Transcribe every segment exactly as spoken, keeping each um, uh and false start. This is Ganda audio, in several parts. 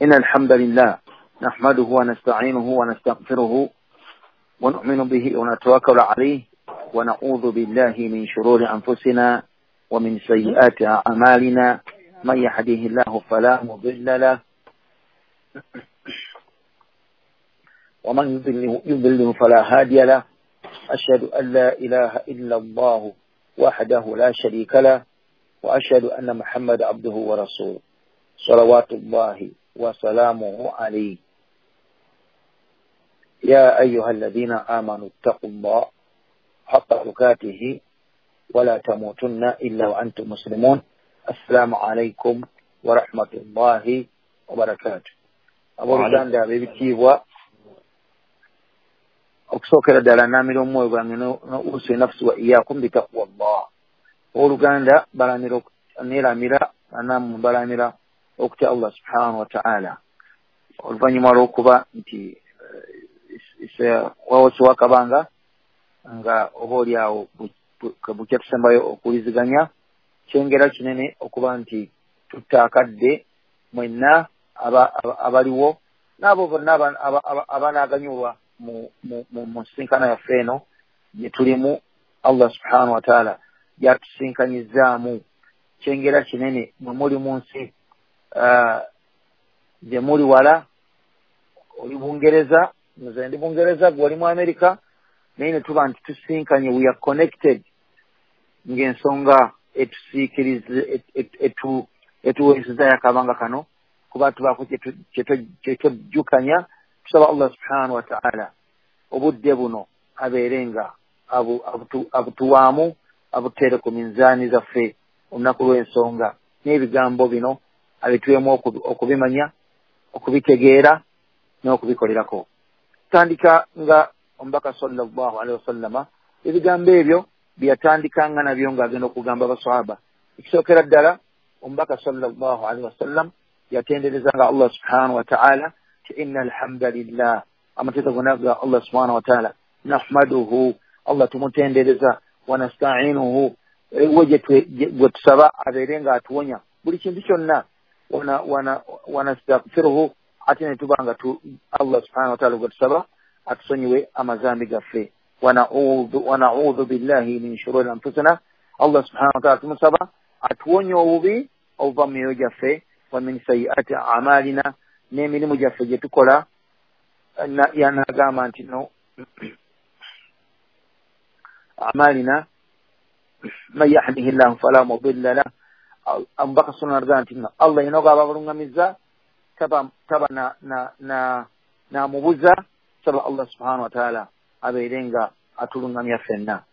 إن الحمد لله نحمده ونستعينه ونستغفره ونؤمن به ونتوكل عليه ونعوذ بالله من شرور أنفسنا ومن سيئات أعمالنا من يهده الله فلا مضل له ومن يضلله, يضلله فلا هادي له أشهد أن لا إله إلا الله وحده لا شريك له وأشهد أن محمد عبده ورسوله صلوات الله وسلامه عليه يا أيها الذين آمنوا اتقوا الله حق تقاته ولا تموتن إلا وأنتم مسلمون السلام عليكم ورحمة الله وبركاته. Abooluganda ab'ebitiibwa, okusookera ddala naamira omwoyo gwange n'usi nafsi wa iyyakum bitaqwa Allah. Abooluganda balamira neeramira nammwe balamira okutya Allah subhanahu wa ta'ala. Oluvannyuma lw'okuba nti wawosi wakabanga nga oba oli awo bukya tusembayo okuwuliziganya, kyengera kinene okuba nti tutta akadde mwenna abaliwo n'abo bonna abanaaganyulwa mu nsinkana yaffe eno gye tulimu. Allah subhanahu wa ta'ala gyatusinkanyizaamu. Kyengera kinene mwe muli mu nsi gye muli wala, oli Bungereza, nze ndi Bungereza, gwe oli mu Amerika, naye ne tuba nti tusinkanye, we are connected ng'ensonga etusiikirize etuweesezaayo akabanga kano kuba tubaako kyetwejjukanya. Tusaba Allah subhanahu wa ta'ala obudde buno abeere nga abutuwaamu, abuteere ku minzaani zaffe olunaku lw'ensonga, n'ebigambo bino abituwemu okubimanya, okubitegeera n'okubikolerako. Tutandika nga omubaka sallallahu alaihi wasallama ebigambo ebyo byeyatandikanga nabyo ng'agenda okugamba abaswahaba. Ekisookera ddala omubaka sallallahu alaihi wasallam yatenderezanga Allah subhanahu wa ta'ala ti inna alhamdulillah, amateeka gonna ga Allah subhanahu wa ta'ala, nahmaduhu, Allah tumutendereza, wa nasta'inuhu, we gwe tusaba abeere nga atuwonya buli kintu kyonna, wa nastaghfiruhu, ate ne tuba nga Allah subhanahu wa ta'ala gwe tusaba atusonyiwe amazambi gaffe, wa na'udhu billahi min shururi anfusina, Allah subhanahu wa ta'ala tumusaba atuwonye obubi obuva mu myoyo gyaffe, wa min sayyiati a'malina, n'emirimu gyaffe gye tukola. Yanagamba nti no a'malina man yahdihi llahu fala mudilla lah. Omubaka sallallahu alaihi wasallam nti no Allah yena gw'aba abalungamiza taba taba na na na namubuza. Saba Allah subhanahu wa ta'ala abeere nga atulungamya ffenna.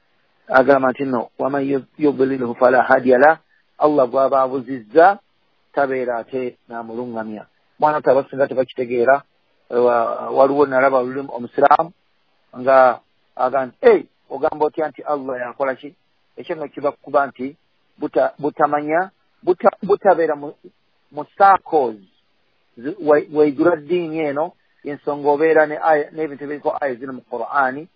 Agamba nti no waman yudlilhu fala hadiya lah, Allah gw'aba abuzizza tabeera ate namulungamya. Mwana tabasinga tebakitegeera. Waliwo nalaba lulimu omusiraamu nga agamba nti ei, ogamba otya nti Allah yakola ki? Ekyo nno kiba kuba nti butamanya, butabeera mu circles weigula ddiini eno ensonga obeera n'ebintu ebiriko aya ziri mu Qur'ani.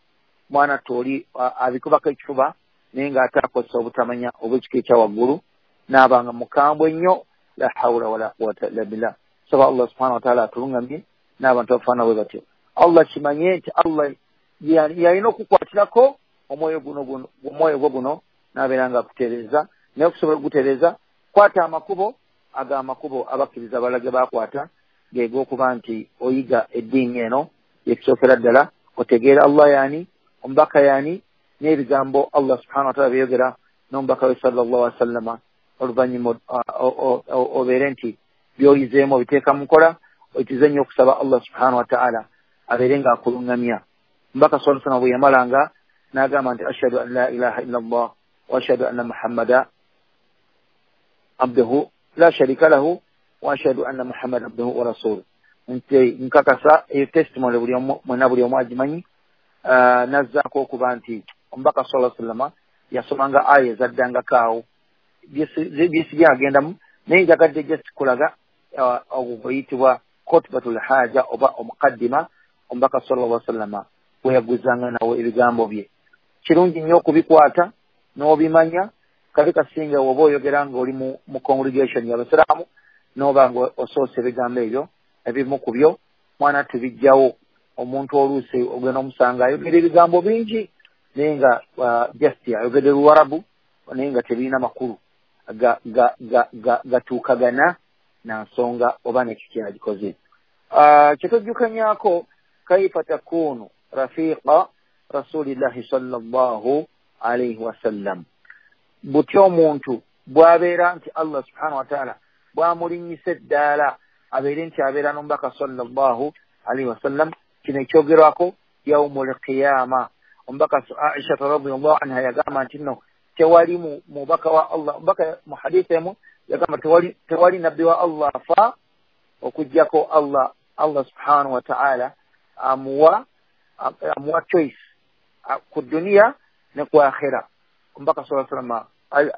Mwana toli abikubako ekifuba naye ng'ate akozesa obutamanya obw'ekika ekya waggulu n'abanga mukambwe nnyo. La hawla wala quwwata illa billah. Saba Allah subhanahu wa ta'ala atulungamye n'abantu abafaanana bwe batyo. Allah kimanye nti Allah yalina okukwatirako omwoyo guno guno omwoyo gwo guno n'abeera nga akutereeza. Naye okusobola okugutereeza, kwata amakubo ag'amakubo abakkiriza abalala ge baakwata, ge g'okuba nti oyiga eddiini eno yekisookera ddala, otegeera Allah yaani, omubaka yaani, n'ebigambo Allah subhanahu wa ta'ala byeyogera n'omubaka we sallallahu alaihi wasallama. Oluvannyuma obeere nti by'oyizeemu obiteeka mu nkola, oyitize nnyo okusaba Allah subhanahu wa ta'ala abeere nga akulungamya. Omubaka sallallahu alaihi wasallam bwe yamalanga n'agamba nti ashhadu an la ilaha illa Allah wa ashhadu anna Muhammada abduhu la sharika lahu wa ashhadu anna Muhammada abduhu wa rasuluhu. Nti nkakasa eyo testimony buli omu mwenna buli omu agimanyi. Nazzaako okuba nti omubaka sallallahu alaihi wasallam yasomanga aya ezaddangako awo byesiby'agendamu, naye njagadde just kulaga ogwo guyitibwa khutbatul haja oba omukaddima omubaka sallallahu alaihi wasallam bwe yaguzanga nawo ebigambo bye. Kirungi nnyo okubikwata n'obimanya, kabi kasinga oba oyogera ng'oli mu congregation y'abasiraamu n'oba nga osoose ebigambo ebyo Ebimu ku byo mwana tubijjawo omuntu oluusi ogenda omusanga ayogera ebigambo bingi naye nga just ayogedde Luwarabu naye nga tebirina makulu gatuukagana na nsonga oba nekyo kyagikoze. Kyetujjukanyako kaifa takunu rafiqa rasulillahi sallallahu alaihi wasallam, butya omuntu bw'abeera nti Allah subhanahu wa ta'ala bw'amulinnyisa eddaala abeere nti abeera n'omubaka sallallahu alaihi wasallam. Kino ekyogerwako yaumul qiyama. Omubaka Aisha radhiyallahu anha yagamba nti nno tewali mubaka wa Allah, omubaka mu hadithi emu yagamba tewali tewali nabbi wa Allah afa okuggyako Allah Allah subhanahu wa ta'ala amuwa amuwa choice ku duniya ne ku akhira. Omubaka sallallahu alaihi wasallam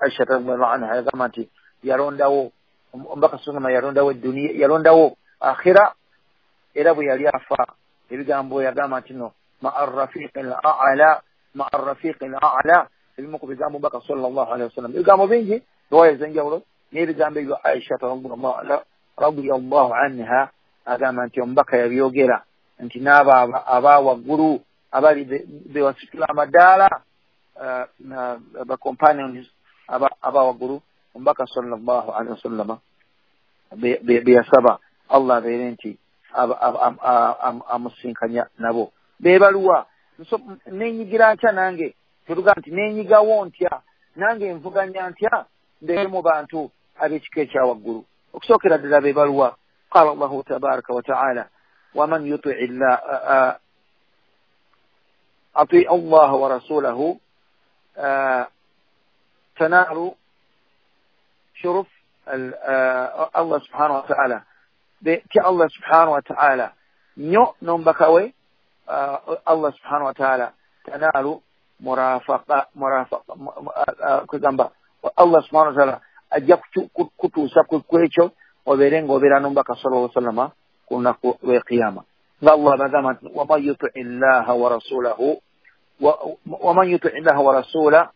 Aisha radhiyallahu anha yagamba nti yalondawo omubaka sallallahu alaihi yalondawo duniya, yalondawo akhira, era bwe yali afa ebigambo yagamba nti no ma'a rafiqil a'la, ma'a rafiqil a'la. Ebimu ku bigambo omubaka sallallahu alaihi wasallam, ebigambo bingi riwaya ez'enjawulo n'ebigambo ebyo Aisha radhiyallahu anha agamba nti omubaka yabyogera nti n'abo aba waggulu abali bewasitula amadaala ba companions aba waggulu omubaka sallallahu alaihi wasallam beyasaba Allah abeere nti amusinkanya nabo. Bebaluwa nenyigira ntya nange tetuga nti nenyigawo ntya nange nvuganya ntya mbeere mu bantu ab'ekika ekya waggulu. Okusookera ddala bebaluwa qala Allahu tabaraka wa taala waman yuti llah atii Allah wa rasulahu tanalu shuruf Allah subhanahu wa taala ti Allah subhanahu wa taala nnyo n'omubaka we Allah subhanahu wa taala tanalu murafaqa murafaqa kugamba Allah subhanahu wa taala ajja kutuusa ku ekyo obeere ng'obeera n'omubaka sallallahu alaihi wasallam ku lunaku lw'ekiyama. Nga Allah bagamba nti waman yuti llaha wa rasulahu waman yuti llaha wa rasulahu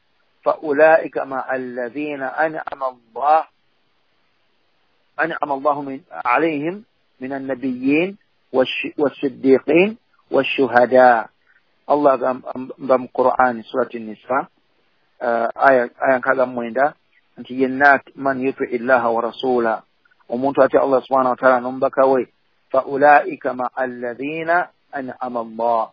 fa ulaika ma'a alladhina an'ama Allah an'ama Allahu min alayhim min an-nabiyyin was-siddiqin wash-shuhada. Allah agamba mu Qur'an surati Nisa aya aya nkaaga mu mwenda nti yenna man yuti llaha wa rasulahu, omuntu atya Allah subhanahu wa ta'ala n'omubaka we fa ulaika ma'a alladhina an'ama Allah,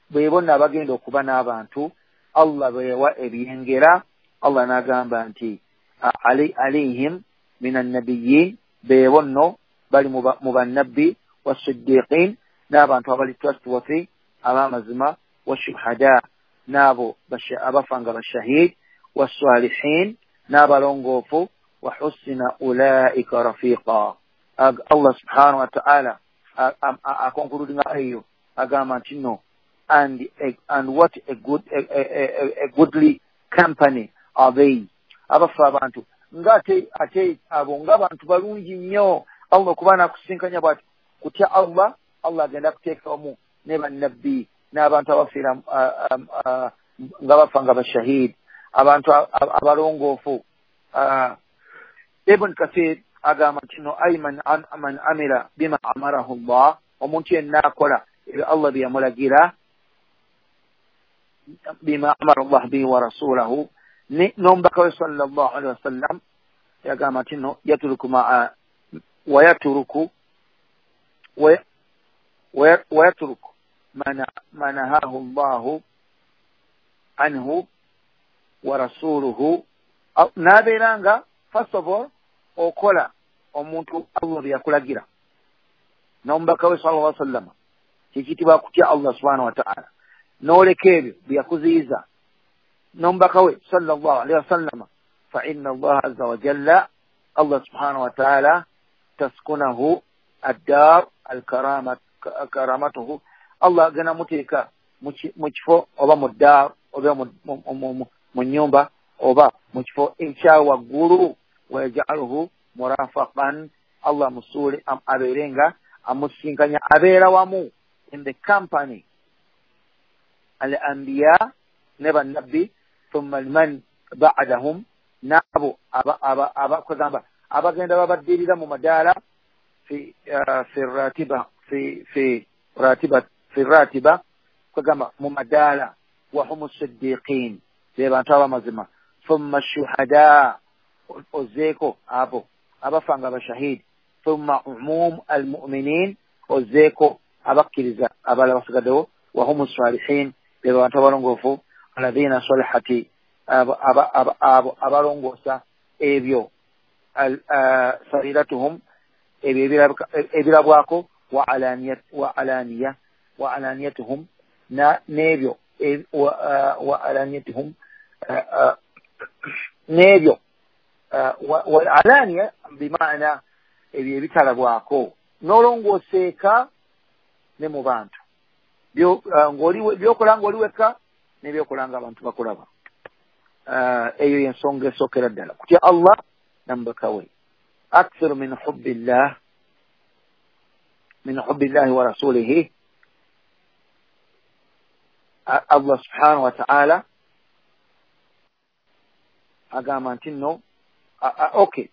bwe bonna abagenda okuba n'abantu Allah bwe yawa ebyengera. Allah n'agamba nti alayhim min annabiyyin, be bonno bali mu bannabbi, wassiddiqin, n'abantu abali trustworthy ab'amazima, washuhada, n'abo abafa nga bashahid, wassalihin, n'abalongoofu, wa husina ulaika rafiqa. Allah subhanahu wa ta'ala akonkuludinga eyo agamba nti no and and what a good a, a, a goodly company are they, abafa abantu nga ate ate abo nga abantu balungi nnyo. Allah kuba nakusinkanya bw'ati kutya Allah, Allah agenda kuteekamu ne bannabbi n'abantu abafiira nga bafa nga bashahid, abantu abalongoofu. Ibn Kathir agamba nti no ay man man amila bima amarahu Allah, omuntu yenna akola ebyo Allah bye yamulagira, bima amara Allah bihi wa rasulahu, n'omubaka we sallallahu alaihi wasallam yagamba nti no yatruku maa wa yatruku wa yatruku ma nahahu Allahu anhu wa rasuluhu, n'abeera nga first of all okola omuntu Allah bye yakulagira n'omubaka we sallallahu alaihi wasallam, kikitibwa kutya Allah subhanahu wa ta'ala, n'oleka ebyo bye yakuziyiza n'omubaka we sallallahu alaihi wasallam. Fa inna Allah azza wa jalla, Allah subhanahu wa ta'ala taskunahu ad-dar al-karama karamatuhu, Allah agenda muteeka mu kifo oba mu ddaar oba mu nnyumba oba mu kifo ekya waggulu, wayajaluhu murafaqan, Allah musuule abeere nga amusinkanya, abeera wamu in the company al-anbiya ne bannabbi, thumma man ba'dahum, n'abo abakugamba abagenda babaddirira mu madaala, fi fi ratiba fi fi ratiba fi ratiba kugamba mu madaala wa humu siddiqin be bantu abamazima thumma shuhada ozeeko abo abafanga abashahidi thumma umum almu'minin ozeeko abakkiriza abalala basigaddewo wa humu salihin be bantu abalongoofu alladhina salihati abo abalongoosa ebyo sariratuhum ebyo ebirabwako wa alaniya wa alaniya wa alaniyatuhum na n'ebyo wa alaniyatuhum n'ebyo wal alaniya bimaana ebyo ebitalabwako n'olongooseeka ne mu bantu byokola ng'oli wekka n'ebyokola nga abantu bakulaba. Eyo y'ensonga esookera ddala kutya Allah n'omubaka we. Aktharu min hubbillah min hubbillahi wa rasulihi. Allah subhanahu wa ta'ala agamba nti nno okay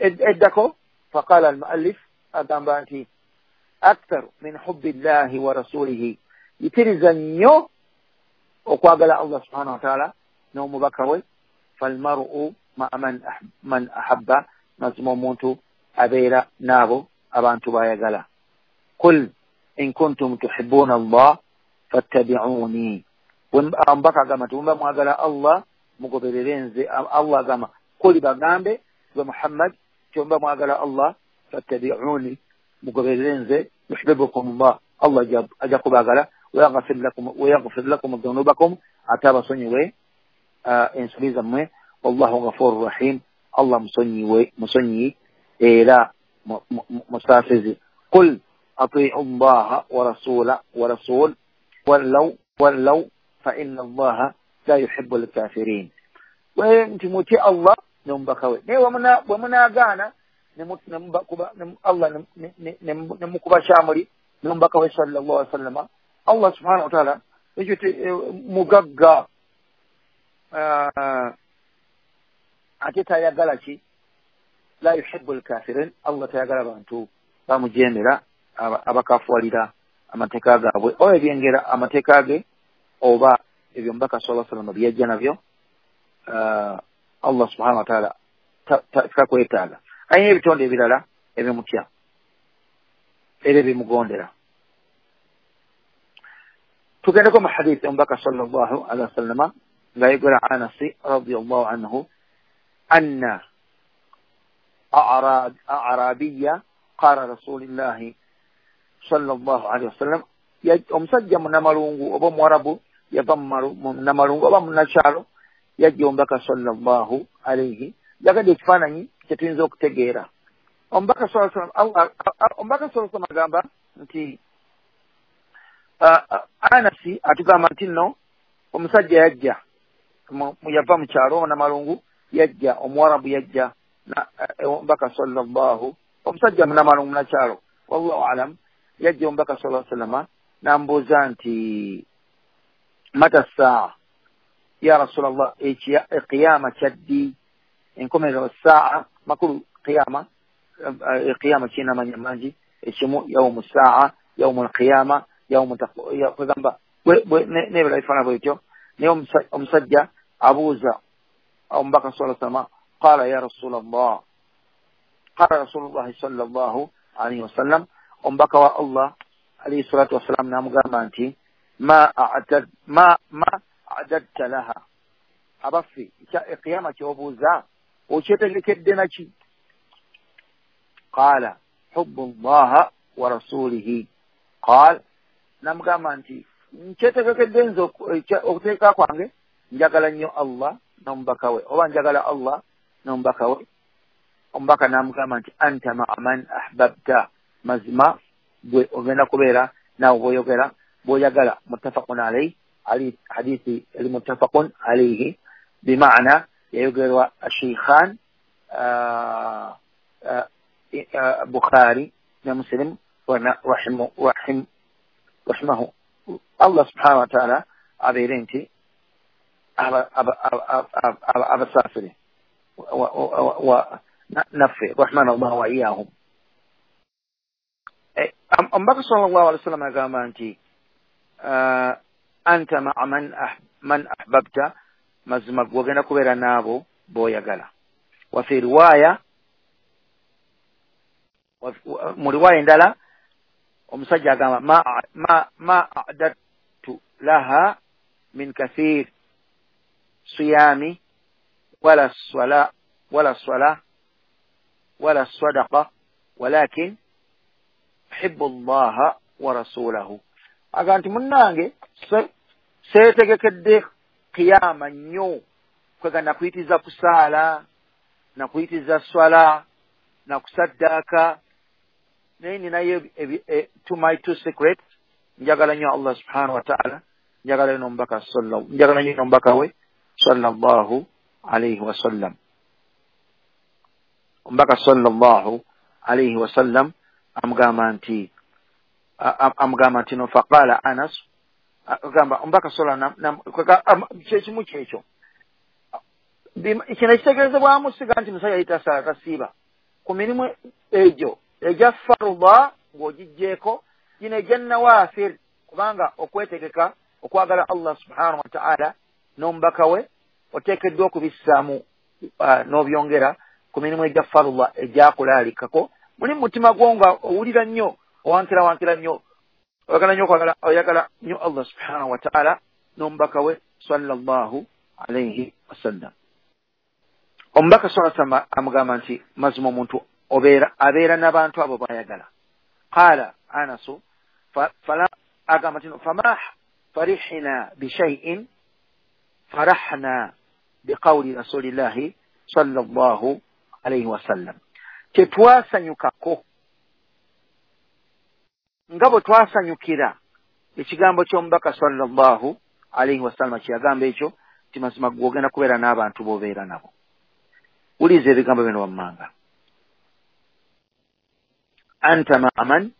eddako faqala al-muallif agamba nti aktharu min hubbillahi wa rasulihi, yitiriza nnyo okwagala Allah subhanahu wa ta'ala n'omubaka we. Falmaru ma'a man man ahabba, mazima omuntu abeera n'abo abantu bayagala. Qul in kuntum tuhibbuna Allah fattabi'uni, omubaka agamba nti bwe mwagala Allah mugoberere nze. Allah agamba kuli bagambe gwe Muhammad nti bwe mwagala Allah fattabi'uni mugoberere nze, yuhibbukum Allah, Allah ajja kubaagala, wayaghfir lakum wayaghfir lakum dhunubakum, ate abasonyiwe ensobi zammwe. Wallahu ghafurur rahim, Allah musonyiwe musonyi era musaasizi. Qul ati'u Allaha wa rasula wa rasul wallaw wallaw fa inna Allaha la yuhibbu al-kafirin. We nti mutye Allah n'omubaka we, naye bwe munaagaana Allah ne mukuba kyamuli n'omubaka we sallallahu alaihi wasallama, Allah subhanahu wa ta'ala ekyo mugagga ate tayagala ki, la yuhibbu al-kafirin, Allah tayagala bantu bamujemera abakafuwalira amateeka gaabwe oba ebyengera amateeka ge oba ebyo omubaka sallallahu alaihi wasallam byajja nabyo. Allah subhanahu wa ta'ala takwetaaga. Alina ebitonde ebirala ebimutya era ebimugondera. Tugendeko mu hadithi omubaka sallallahu alaihi wasallama ng'ayogera Anasi radiyallahu anhu anna a'rabiyya qala rasulillahi sallallahu alaihi wasallam, omusajja munnamalungu oba omuwarabu yava munnamalungu oba munnakyalo yajja omubaka sallallahu alaihi. Yagadde ekifaananyi kye tuyinza okutegeera. Omubaka sallallahu alaihi wasallam agamba nti Anasi atugamba nti nno omusajja yajja yava mu kyalo munnamalungu yajja omuwarabu yajja omubaka sallallahu omusajja munnamalungu munnakyalo wallahu alam yajja omubaka sallallahu alaihi wasallam n'ambuuza nti mata saa ya Rasulallah, ekiyama kyaddi, enkomerero saa makulu qiyama qiyama kirina amannya mangi, ekimu yawmu saa yawmu alqiyama yawmu kugamba n'ebirala bifaanana bwe bityo. Naye omusajja abuuza omubaka sallallahu alaihi wasallam qala ya Rasulallah, qala Rasulullahi sallallahu alaihi wasallam, omubaka wa Allah alayhi salatu wassalam n'amugamba nti ma a'tad ma ma a'dadta laha, abaffe ekiyama ky'obuuza okyetegekedde naki? Qala hubbu llaha wa rasulihi. Qala, n'amugamba nti nkyetegekedde nze okuteeka kwange njagala nnyo Allah n'omubaka we, oba njagala Allah n'omubaka we. Omubaka n'amugamba nti anta ma'a man ahbabta, mazima gwe ogenda kubeera naawe bw'oyogera bw'oyagala. Muttafaqun alayhi, hadithi eri muttafaqun alayhi bimaana yayogerwa Sheikhan Bukhari ne Muslim rahimahu Allah subhanahu wa ta'ala abeere nti abasaasire naffe rahmana Allah wa iyahum. Omubaka sallallahu alaihi wasallam agamba nti anta ma'a man man ahbabta, mazima gwogenda kubeera n'abo b'oyagala. Wa fi riwaya, mu riwaya endala omusajja agamba ma ma ma a'dadtu laha min kathir siyami wala swala wala swala wala sadaqa walakin uhibbu Allaha wa rasulahu. Aga nti munnange seetegekedde kiyama nnyo, kwega nakuyitiza kusaala, nakuyitiza swala, nakusaddaaka, naye ninayo to my two secrets, njagala nnyo Allah subhanahu wa ta'ala, njagala nnyo omubaka sallallahu, njagala nnyo omubaka we sallallahu alayhi wasallam. Omubaka sallallahu alayhi wasallam amugamba nti amugamba nti no faqala Anas, agamba omubaka sallallahu kyekimu kyekyo kino ekitegeezebwamu siga nti musajja yita saala tasiiba ku mirimu egyo egya faruda ng'ogiggyeko gino egya nawaafir, kubanga okwetegeka okwagala Allah subhanahu wa ta'ala n'omubaka we oteekeddwa okubissaamu n'obyongera ku mirimu egya faruda egyakulaalikako. Muli mu mutima gwo nga owulira nnyo, owankira wankira nnyo, oyagala nnyo okwagala, oyagala nnyo Allah subhanahu wa ta'ala n'omubaka we sallallahu alayhi wasallam. Omubaka sallallahu alayhi wasallam amugamba nti mazima omuntu obeera abeera n'abantu abo bayagala. Qala Anasu fala, agamba nti fama farihna bishay'in farahna biqawli rasulillahi sallallahu alayhi wasallam. Tetwasanyukako nga bwe twasanyukira ekigambo ky'omubaka sallallahu alayhi wasallam kyeyagamba ekyo nti mazima gwogenda kubeera n'abantu b'obeera nabo. Wuliza ebigambo bino wammanga. Anta ma'a man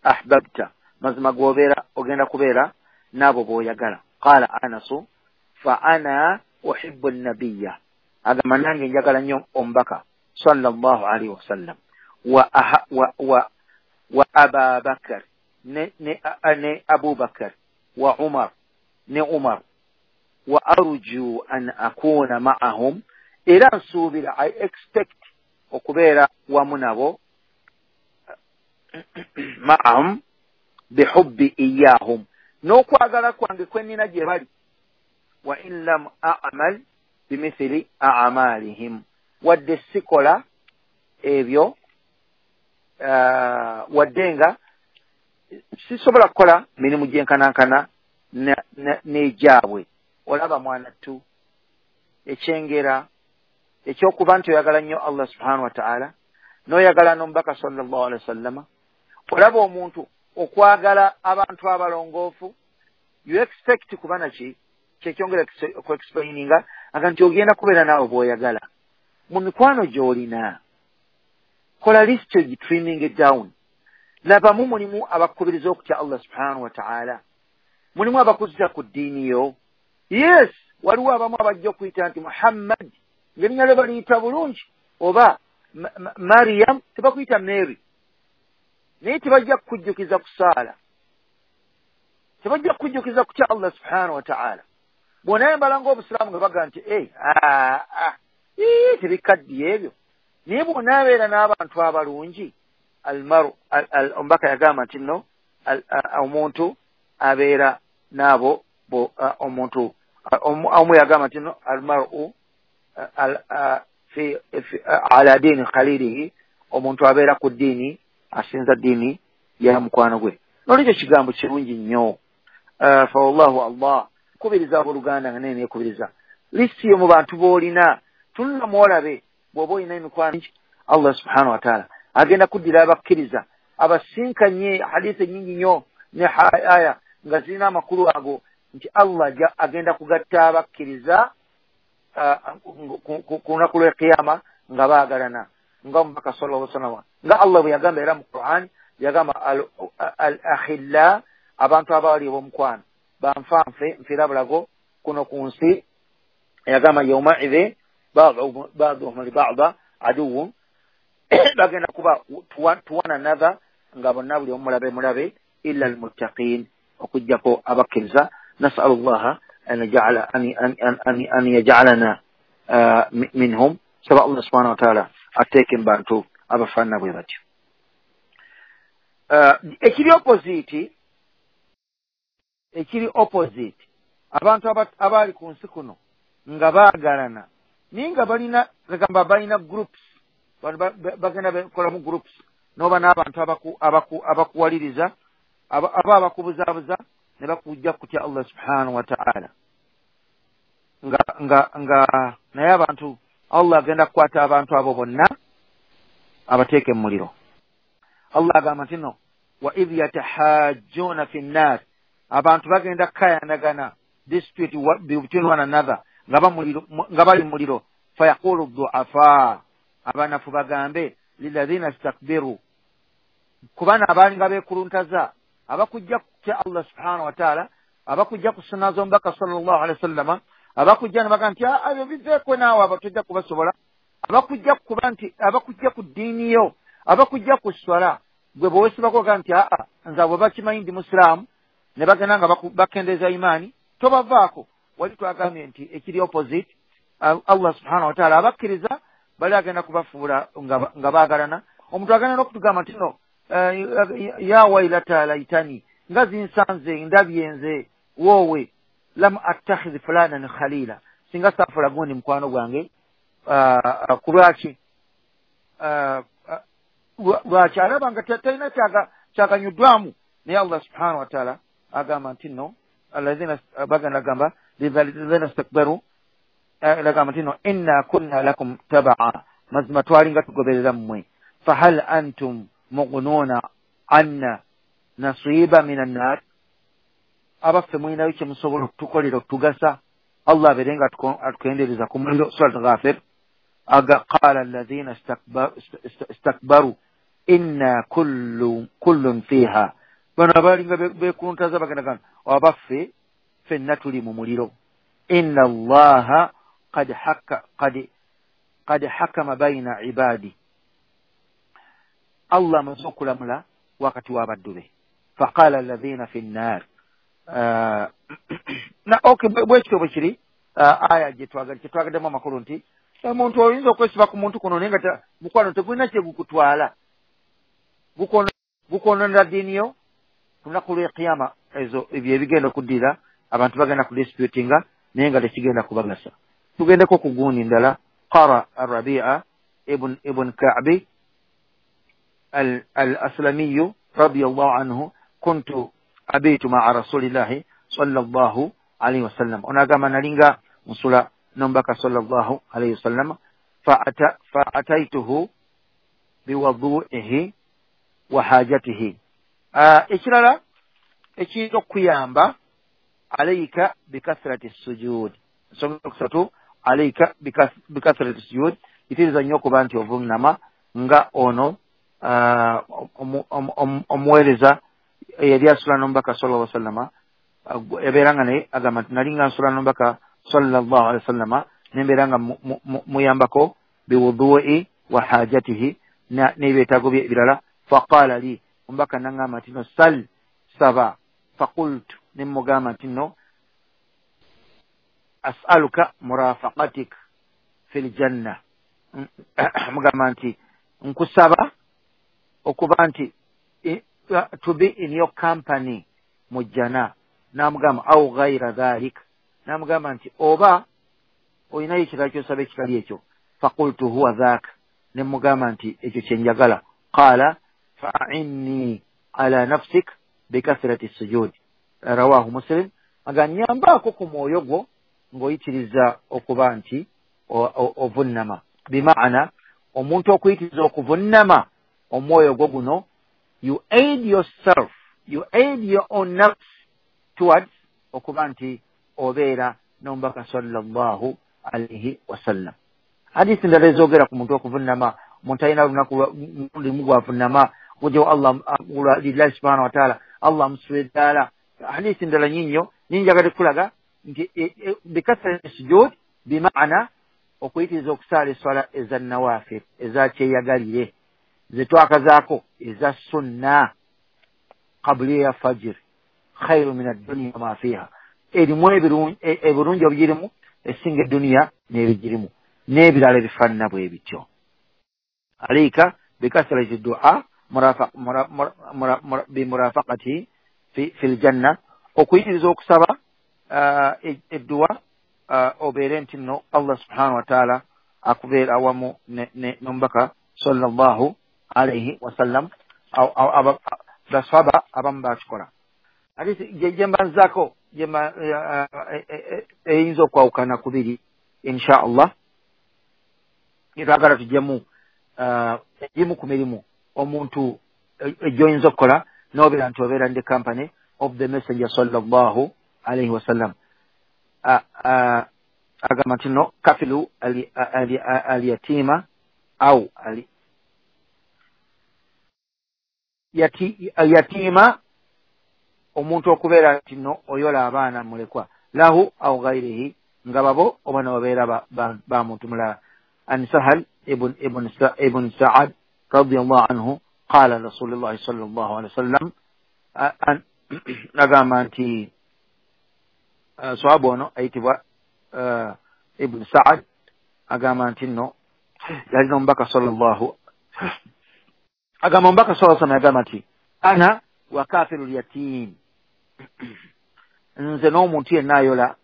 ahbabta, mazima gw'obeera ogenda kubeera n'abo b'oyagala. Qala Anasu fa ana uhibbu an-nabiyya, agamba nange njagala nnyo omubaka sallallahu alayhi wasallam, wa wa wa wa Aba Bakr ne ne ne Abu Bakr wa Umar ne Umar, wa arju an akuna ma'ahum, era nsuubira, I expect okubeera wamu nabo, ma'ahum bihubbi iyahum, n'okwagala kwange kwe nnina gye bali, wa in lam a'mal bimithili a'malihim, wadde sikola ebyo, uh, wadde nga sisobola kukola mirimu gyenkanankana n'egyabwe. Olaba mwana tu ekyengera ekyokuba nti oyagala nnyo Allah subhanahu wa ta'ala n'oyagala n'omubaka sallallahu alaihi wasallama. Olaba omuntu okwagala abantu abalongoofu, you expect kuba naki kyekyongera okuexplaininga aga nti ogenda kubeera naawe bw'oyagala. Mu mikwano gy'olina kola list ogitrimming it down. Labamu mulimu abakubiriza okutya Allah subhanahu wa ta'ala, mulimu abakuzza ku ddiini yo. Yes, waliwo abamu abajja okuyita nti Muhammad ng'erinnya lye baliyita bulungi, oba Mariam tebakuyita Mary, naye tebajja kukujjukiza kusaala, tebajja kukujjukiza kutya Allah subhanahu wa ta'ala. Bw'onaayambala ng'obusiraamu nga baga nti tebikaddiye ebyo, naye bw'onaabeera n'abantu abalungi, almaru omubaka yagamba nti nno omuntu abeera n'abo omuntu omu yagamba nti nno almaru ala diini khalilihi, omuntu abeera ku ddiini asinza ddiini ya mukwano gwe. Nolwekyo kigambo kirungi nnyo. Fa wallahu Allah kubiriza abooluganda nga naye neekubiriza lisiti yo mu bantu b'olina, tunula mwolabe bw'oba olina emikwano. Allah subhanahu wa ta'ala agenda kuddira abakkiriza abasinkanye hadithi ennyingi nnyo ne aya nga zirina amakulu ago nti Allah agenda kugatta abakkiriza ku lunaku lw'ekiyama nga baagalana, nga omubaka sallallahu alaihi wasallam nga Allah bwe yagamba era mu Qur'an yagamba al akhilla, abantu abali ab'omukwano banfanfe nfiira bulago kuno ku nsi. Yagamba yawmaidhi ba'duhum li ba'd aduwwun, bagenda kuba to one another nga bonna buli omu mulabe mulabe illa almuttaqin, okuggyako abakkiriza. Nasalu llaha an yaj'ala an yaj'alana minhum. Saba Allah subhanahu wa ta'ala ateeke mu bantu abafaanana bwe batyo. Ekiri opposite, ekiri opposite, abantu abaali ku nsi kuno nga baagalana naye nga balina gamba balina groups, bagenda bakolamu groups, n'oba n'abantu abakuwaliriza aba abakubuzaabuza ne bakujja kutya Allah subhanahu wa ta'ala, nga nga nga naye abantu Allah agenda kukwata abantu abo bonna abateeke mu muliro. Allah agamba nti no wa idh yatahajjuna fi nnar, abantu bagenda kukayanagana, dispute between one another, nga bali mu muliro. Fayaqulu du'afa, abanafu bagambe lilladhina istakbiru, kubana abalinga beekuluntaza abakujja kutya Allah subhanahu wa ta'ala, abakujja ku sunna z'omubaka sallallahu alaihi wasallama, abakujja ne bagamba nti ebyo biveeko naawe abo tojja kubasobola, abakujja kuba nti abakujja ku ddiini yo, abakujja ku swala, gwe bw'owesibako ogamba nti aa nze abo bakimanyi ndi musiraamu, ne bagenda nga bakendeeza imaani, tobavaako. Wali twagambye nti ekiri opposite, Allah subhanahu wa ta'ala abakkiriza bali agenda kubafuula nga baagalana. Omuntu agenda n'okutugamba nti no ya wailata laitani, nga zinsanze ndabye nze woowe, lam attakhidh fulanan khalila, singa saafula gundi mukwano gwange. Ku lwaki? Lwaki alaba nga talina kyaganyuddwamu. Naye Allah subhanahu wa ta'ala agamba nti no alladhina bagenda gamba lilladhina istakbaru, agamba nti no inna kunna lakum tabaa, mazima twalinga tugoberera mmwe, fahal antum mughnuuna anna nasiba minan nar, abaffe mulinayo kye musobola okutukolera okutugasa, Allah abeere nga atukendeereza ku muliro. Surat Ghafir aga qala alladhina istakbaru inna kullu kullun fiha, bano abalinga beekuluntaza bagenda gamba abaffe ffenna tuli mu muliro, inna allaha qad haka qad qad hakama baina ibadi, Allah amaze okulamula wakati w'abaddu be. Faqala alladhina fi nnar, na okay, bwekityo bwe kiri aya gye twagaddemu amakulu nti omuntu oyinza okwesiba ku muntu kuno naye nga mukwano tegulina kye gukutwala, gukwononera ddiini yo. Ku lunaku lw'ekiyama ezo ebyo ebigenda okuddira abantu bagenda kudisputinga naye nga tekigenda kubagasa. Tugendeko ku gundi ndala. Qara Arabia ibn ibn Ka'bi al-Aslamiyu radiyallahu anhu, kuntu abitu ma'a rasulillahi sallallahu alayhi wasallam, onagamba nalinga nsula n'omubaka sallallahu alayhi wasallam, fa'ataituhu biwadu'ihi wa hajatihi. Ekirala ekiyinza okukuyamba, alayka bikathrati sujud, ensonga yokusatu alayka bikathrati sujud, yitiriza nnyo okuba nti ovunnama nga ono omuweereza eyali asula n'omubaka sallallahu alaihi wasallama, yabeera nga naye agamba nti nalinga nsula n'omubaka sallallahu alaihi wasallama nembeera nga muyambako biwudu'i wa hajatihi, n'ebyetaago bye ebirala. Faqala li, omubaka nangamba nti no sal, saba. Faqultu, ne mugamba nti no as'aluka murafaqatik fil janna, mugamba nti nkusaba okuba nti to be in your company mu jjana. N'amugamba au ghaira dhalik, n'amugamba nti oba olinayo ekirala ky'osaba ekitali ekyo. Faqultu huwa dhak, ne mugamba nti ekyo kye njagala. Qala fa'inni ala nafsik bikathrati sujud, rawahu Muslim. Aga nyambaako ku mwoyo gwo ng'oyitiriza okuba nti ovunnama. Bimaana omuntu okuyitiriza okuvunnama omwoyo gwo guno, you aid yourself, you aid your own nafs towards okuba nti obeera n'omubaka sallallahu alaihi wasallam. Hadisi ndala ezoogera ku muntu okuvunnama, omuntu alina olunaku lumu gwavunnama gujewo Allah lillahi subhanahu wa ta'ala, Allah amusula eddaala. Hadisi ndala nyinnyo ninjagadde kulaga nti bikathrati sujud bimaana okuyitiriza okusaala eswala eza nawafir eza kyeyagalire. Zetwakazaako eza sunna qabli ya fajr khairu min ad-dunya ma fiha, erimu ebirungi ebigirimu esinga eduniya n'ebigirimu n'ebirala ebifaanana bwe bityo. Alaika bikasrati du'a bimurafaqati fi ljanna, okuyitiriza okusaba edduwa obeere nti nno Allah subhanahu wa ta'ala akubeera awamu n'omubaka sallallahu alaihi wasallam. Baswaba abamu bakikola. Hadisi gyembanzaako eyinza okwawukana kubiri insha Allah, twagala tujjemu egimu ku mirimu omuntu egyoyinza okukola n'obeera nti obeera in the company of the messenger sallallahu alaihi wasallam. Agamba nti no kafilu alyatima au alyatima, omuntu okubeera nti no oyola abaana mulekwa lahu au ghairihi, nga babo oba nobeera ba muntu mulala. An Sahal ibn ibn ibn Sa'ad radiyallahu anhu qala Rasulullah sallallahu alaihi wasallam, agamba nti swahabu ono ayitibwa Ibn Sa'ad agamba nti nno yalina omubaka sallallahu agamba omubaka sallallahu alaihi wasallam agamba nti ana wa kafiru yatim, nze n'omuntu yenna ayola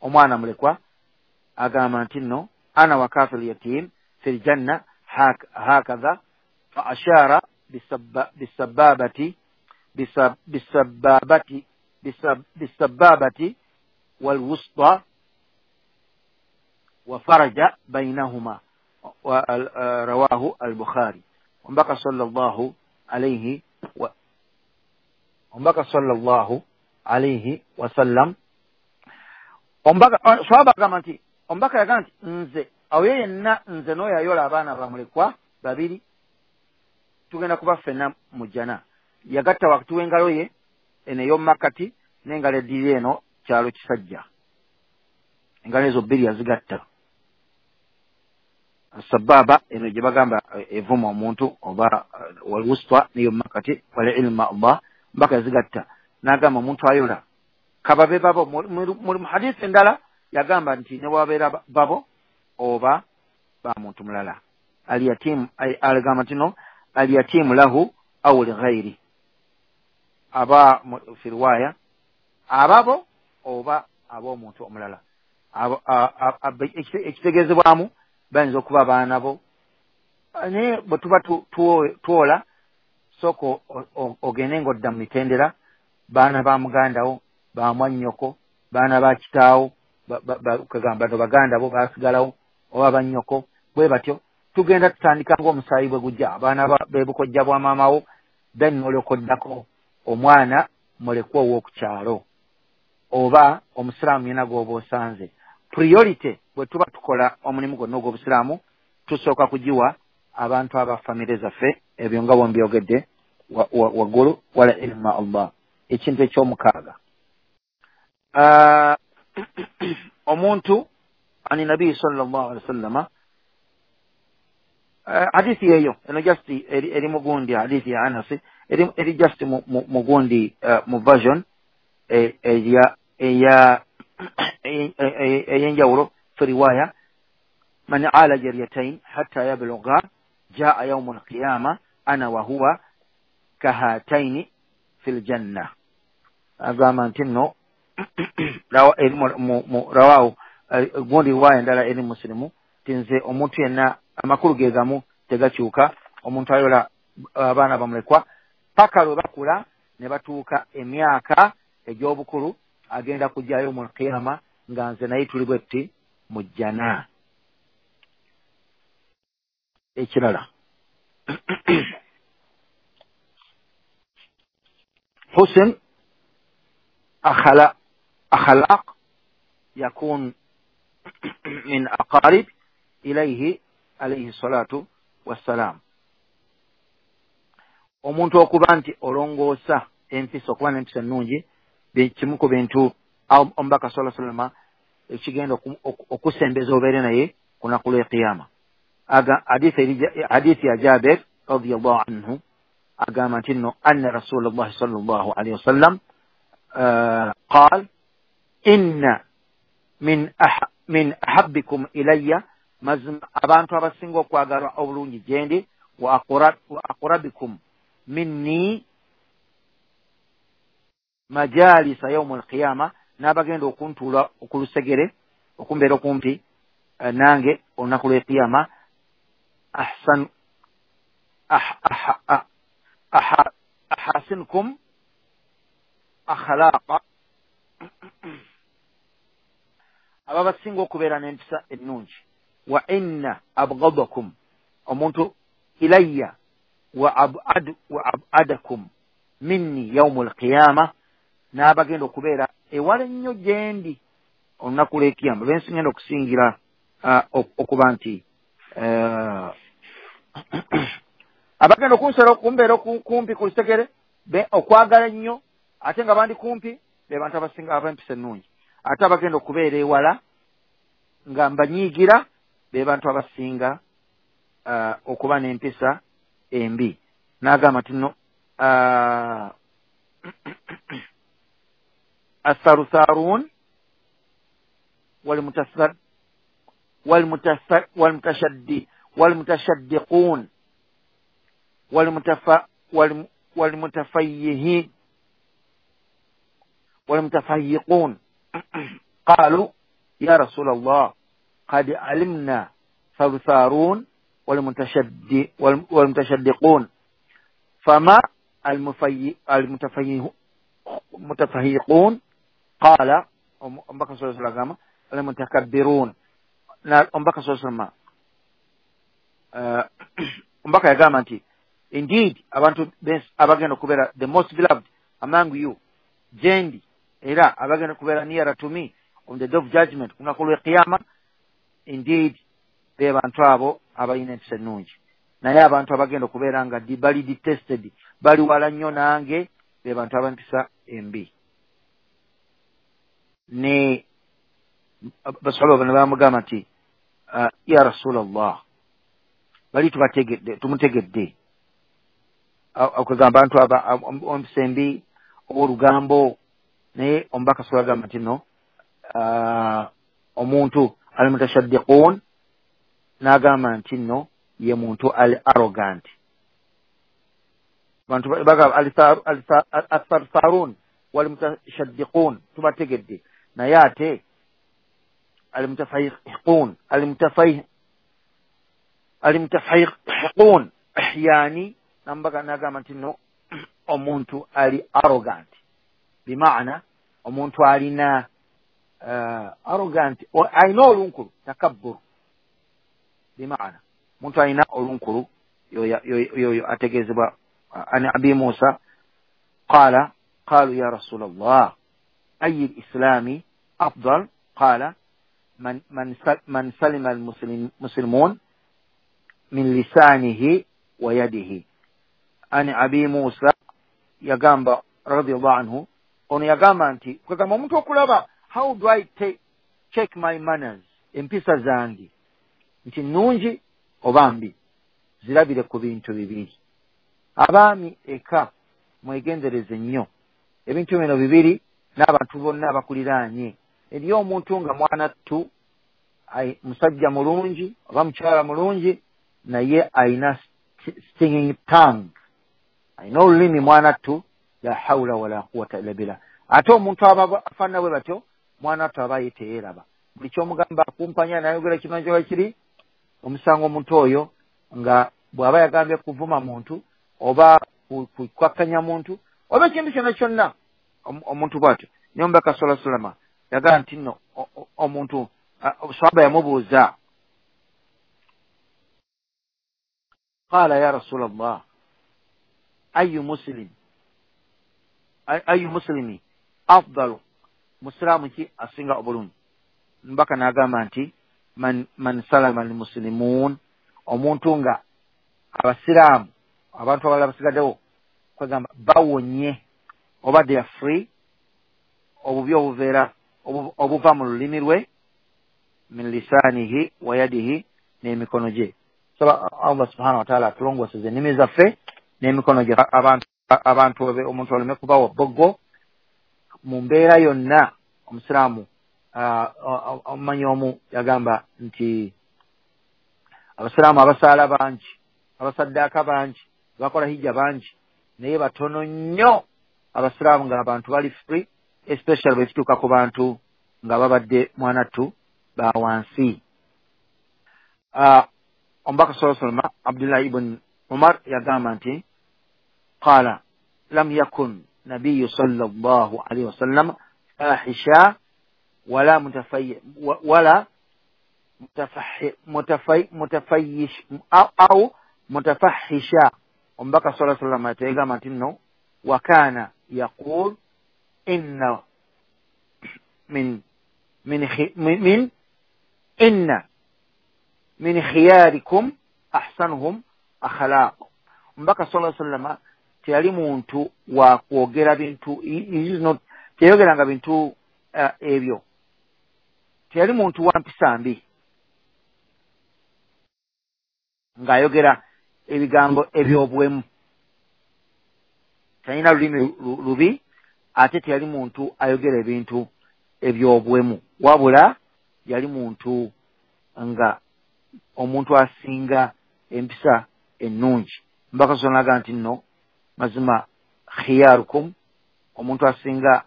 omwana mulekwa. Agamba nti nno ana wa kafiru yatim fil janna hakadha, fa ashara bisababati bisababati bisababati walwusta wa faraja bainahuma, rawahu al-Bukhari. Omubaka sallallahu alayhi wa omubaka sallallahu alayhi wasallam omubaka swahaba agamba nti omubaka yagamba nti nze awo yenna nze n'oyo ayola abaana bamulekwa babiri tugenda kuba ffenna mu jjana. Yagatta wakati w'engalo ye eno ey'omumakkati n'engalo eddiri eno kyalo kisajja, engalo ezo bbiri yazigatta. Sababa eno gye bagamba evuma omuntu oba walwusta n'ey'omumakkati wal ilma Allah, omubaka yazigatta n'agamba omuntu ayola kababe babo. Mu hadisi endala yagamba nti ne bwabeera babo oba ba muntu mulala. Alyatim agamba nti no alyatimu lahu au lighairi, aba fi riwaya ababo oba ab'omuntu omulala. Ekitegeezebwamu bayinza okuba abaana bo, naye bwe tuba twola sooka ogende ng'odda mu mitendera, baana ba mugandawo, ba mwannyoko, baana ba kitaawo, kagamba no baganda bo basigalawo oba bannyoko, bwe batyo tugenda tutandika ng'omusaayi bwe gujja, abaana b'ebukojja bwa maamawo, then n'olyoka oddako omwana mulekwa ow'oku kyalo oba omusiraamu yenna gw'oba osanze. Priority bwe tuba tukola omulimu gwonna ogw'obusiraamu tusooka kugiwa abantu aba famire zaffe, ebyo nga bwe mbyogedde waggulu. Wala ilma Allah. Ekintu ekyomukaaga, omuntu ani nabii sallallahu alaihi wasallama, hadithi yeyo eno just eri mugundi hadithi ya Anas eri eri just mugundi mu version eya eya eyenjawulo fi riwaya man ala jariyatayn hatta yablugha jaa yawm alqiyama ana wa huwa kahataini fil janna. Agamba nti nno rawahu gundi riwaya endala eri Muslimu ti nze omuntu yenna, amakulu ge gamu tegakyuka, omuntu ayola abaana bamulekwa paka lwe bakula ne batuuka emyaka egy'obukulu agenda kujjayo mu qiyama nga nze naye tuli bwe tuti mu jjana. Ekirala, husn akhlaq yakun min aqarib ilayhi alayhi salatu wassalam. Omuntu okuba nti olongoosa empisa, okuba n'empisa ennungi kimu ku bintu omubaka sallallahu alaihi wasallam ekigenda okusembeza obeere naye ku lunaku lw'ekiyama. Hadithi ya Jabir radiyallahu anhu agamba nti nno anna Rasulullahi sallallahu alaihi wasallam qaal inna min min ahabbikum ilayya, mazima abantu abasinga okwagalwa obulungi gyendi, wa aqrabikum minni majalisa yawmul qiyama, n'abagenda okuntuula okulusegere okumbeera okumpi nange olunaku lw'ekiyama, ahsan ahasinkum akhlaqa, ababasinga okubeera n'empisa ennungi, wa inna abghadakum, omuntu ilayya wa abad wa abadakum minni yawmul qiyama, n'abagenda okubeera ewala ennyo gyendi olunaku lw'ekiyama, bensingenda okusingira okuba nti abagenda okunsera okumbeera kumpi ku lusegere okwagala ennyo ate nga bandi kumpi be bantu abasinga ab'empisa ennungi, ate abagenda okubeera ewala nga mbanyiigira be bantu abasinga okuba n'empisa embi. N'agamba nti nno atharutharun walmutashaddi walmutashaddiqun walmutafayyihin walmutafayyiqun qalu ya Rasulallah qad alimna tharutharun walmutashaddi walmutashaddiqun fama almutafayyiqun qala, omubaka sallallahu alayhi wasallam almutakabbirun. Omubaka sallallahu alayhi wasallam omubaka yagamba nti indeed abantu abagenda okubeera the most beloved among you gyendi, era abagenda okubeera nearer to me on the day of judgment, ku lunaku lw'ekiyama, indeed be bantu abo abalina empisa ennungi. Naye abantu abagenda okubeera nga bali detested, bali wala nnyo nange, be bantu ab'empisa embi. Ne basahaba bano bamugamba nti ya Rasulallah, bali tubategedde, tumutegedde okugamba abantu aba empisa embi olugambo. Naye omubaka sallallahu agamba nti no omuntu almutashaddiqun, n'agamba nti nno ye muntu ali arrogant. Bantu bagamba athartharun walmutashaddiqun tubategedde, naye ate almutafayiqun almutafayih almutafayiqun yani nambaga n'agamba nti nno omuntu ali arrogant, bimaana omuntu alina uh, arrogant alina olunkulu, takabbur, bimaana omuntu alina olunkulu yoyo ategeezebwa. An Abi Musa qala qalu ya Rasulallah ayi lislami afdal qala man, man, man salima almuslimun min lisanihi wa yadihi. An Abi Musa yagamba radiyallahu anhu, ono yagamba nti kwegamba omuntu okulaba how do I take, check my manners, empisa zange nti nnungi oba mbi, zirabire ku bintu bibiri. Abaami eka mwegendereze nnyo ebintu bino bibiri n'abantu bonna abakuliraanye. Eriyo omuntu nga mwana ttu musajja mulungi oba mukyala mulungi, naye ayina stinging tongue, ayina olulimi mwana ttu, la hawla wala quwwata illa billah. Ate omuntu aba afaanana bwe batyo mwana ttu aba ye teyeeraba, buli ky'omugamba akumpanya nayogera kino kyoba kiri. Omusanga omuntu oyo nga bw'aba yagambye kuvuma muntu oba kukkakkanya muntu oba ekintu kyonna kyonna, omuntu bw'atyo. Naye omubaka sallallahu alayhi wasallam yagamba nti nno omuntu sahaba yamubuuza qala ya Rasulallah ayu muslim ayu muslimi afdalu, musiraamu ki asinga obulungi? Mbaka n'agamba nti man, man salama almuslimun, omuntu nga abasiraamu abantu abalala basigaddewo kwegamba bawonye oba they are free obubi obuveera obuva mu lulimi lwe, min lisanihi wa yadihi, n'emikono gye. Saba Allah subhanahu wa ta'ala atulongooseze ennimi zaffe n'emikono gye abantu abantu omuntu aleme kubawa bboggo mu mbeera yonna. Omusiraamu omumanyi omu yagamba nti abasiraamu abasaala bangi, abasaddaaka bangi, bakola hijja bangi, naye batono nnyo abasiraamu nga abantu bali free, especially bwe kituuka ku bantu nga babadde mwanattu ba wansi. Omubaka sallallahu alayhi wa sallam Abdullah ibn Umar yagamba nti qala lam yakun nabiyyu sallallahu alayhi wa sallam fahisha wala mutafayy wala mutafahhi mutafay mutafayyish au mutafahisha. Omubaka sallallahu alayhi wa sallam yagamba nti no wa kana yaqul inna min min min inna min khiyarikum ahsanuhum akhlaq. Omubaka sallallahu alayhi wa sallam teyali muntu wa kwogera bintu, teyogeranga bintu uh, ebyo, teyali muntu wa mpisa mbi ng'ayogera ebigambo eby'obwemu, talina lulimi lubi, ate teyali muntu ayogera ebintu eby'obwemu, wabula yali muntu nga omuntu asinga empisa ennungi. Mbaka sonaga nti nno mazima khiyarukum, omuntu asinga